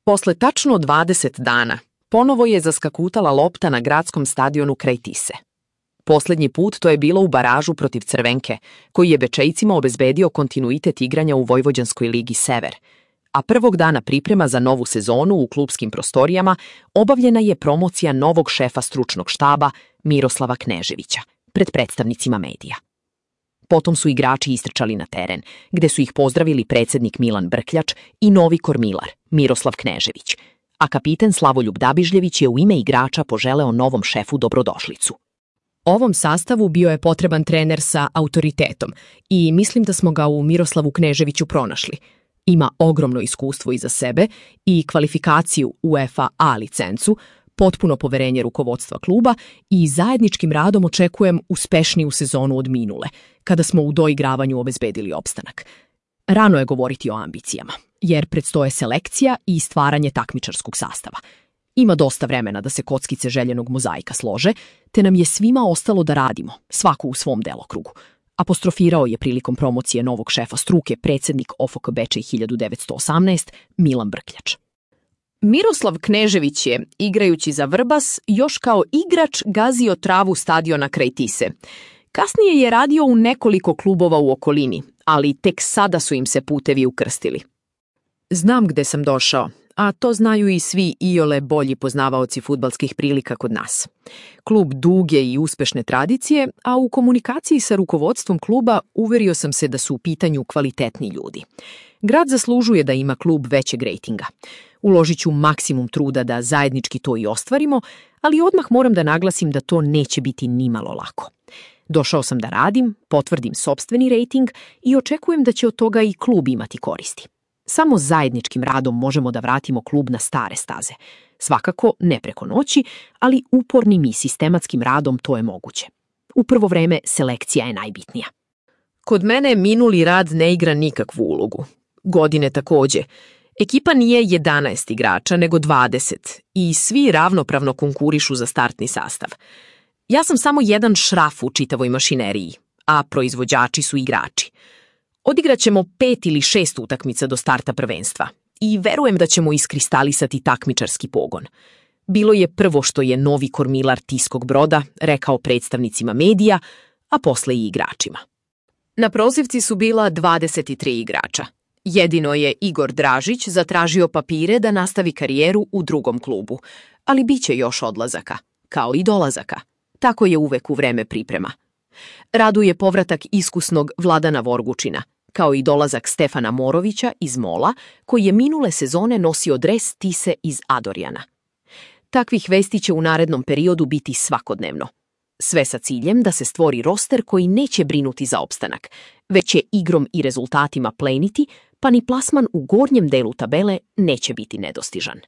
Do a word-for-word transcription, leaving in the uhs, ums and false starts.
Posle tačno dvadeset dana, ponovo je zaskakutala lopta na gradskom stadionu kraj Tise. Poslednji put to je bilo u baražu protiv Crvenke, koji je Bečejcima obezbedio kontinuitet igranja u Vojvođanskoj ligi Sever, a prvog dana priprema za novu sezonu u klupskim prostorijama obavljena je promocija novog šefa stručnog štaba Miroslava Kneževića pred predstavnicima medija. Potom su igrači istrčali na teren, gde su ih pozdravili predsednik Milan Brkljač i novi kormilar Miroslav Knežević, a kapiten Slavoljub Dabižljević je u ime igrača poželeo novom šefu dobrodošlicu. Ovom sastavu bio je potreban trener sa autoritetom i mislim da smo ga u Miroslavu Kneževiću pronašli. Ima ogromno iskustvo iza sebe i kvalifikaciju UEFA A licencu, potpuno poverenje rukovodstva kluba i zajedničkim radom očekujem uspešniju sezonu od minule, kada smo u doigravanju obezbedili opstanak. Rano je govoriti o ambicijama, jer predstoje selekcija i stvaranje takmičarskog sastava. Ima dosta vremena da se kockice željenog mozaika slože, te nam je svima ostalo da radimo, svako u svom delokrugu. Apostrofirao je prilikom promocije novog šefa struke predsednik O F K Bečej hiljadu devetsto osamnaest Milan Brkljač. Miroslav Knežević je, igrajući za Vrbas, još kao igrač gazio travu stadiona kraj Tise. Kasnije je radio u nekoliko klubova u okolini, ali tek sada su im se putevi ukrstili. Znam gde sam došao, a to znaju i svi iole bolji poznavaoci fudbalskih prilika kod nas. Klub duge i uspešne tradicije, a u komunikaciji sa rukovodstvom kluba uverio sam se da su u pitanju kvalitetni ljudi. Grad zaslužuje da ima klub većeg rejtinga. Uložit ću maksimum truda da zajednički to i ostvarimo, ali odmah moram da naglasim da to neće biti nimalo lako. Došao sam da radim, potvrdim sopstveni rejting i očekujem da će od toga i klub imati koristi. Samo zajedničkim radom možemo da vratimo klub na stare staze. Svakako ne preko noći, ali upornim i sistematskim radom to je moguće. U prvo vreme selekcija je najbitnija. Kod mene minuli rad ne igra nikakvu ulogu. Godine takođe. Ekipa nije jedanaest igrača, nego dvadeset i svi ravnopravno konkurišu za startni sastav. Ja sam samo jedan šraf u čitavoj mašineriji, a proizvođači su igrači. Odigraćemo pet ili šest utakmica do starta prvenstva i verujem da ćemo iskristalisati takmičarski pogon. Bilo je prvo što je novi kormilar Tiskog Broda rekao predstavnicima medija, a posle i igračima. Na prozivci su bila dvadeset tri igrača. Jedino je Igor Dražić zatražio papire da nastavi karijeru u drugom klubu, ali bit će još odlazaka, kao i dolazaka. Tako je uvek u vreme priprema. Raduje povratak iskusnog Vladana Vorgučina, kao i dolazak Stefana Morovića iz Mola, koji je minule sezone nosio dres Tise iz Adorjana. Takvih vesti će u narednom periodu biti svakodnevno. Sve sa ciljem da se stvori roster koji neće brinuti za opstanak, već će igrom i rezultatima pleniti, pa ni plasman u gornjem delu tabele neće biti nedostižan.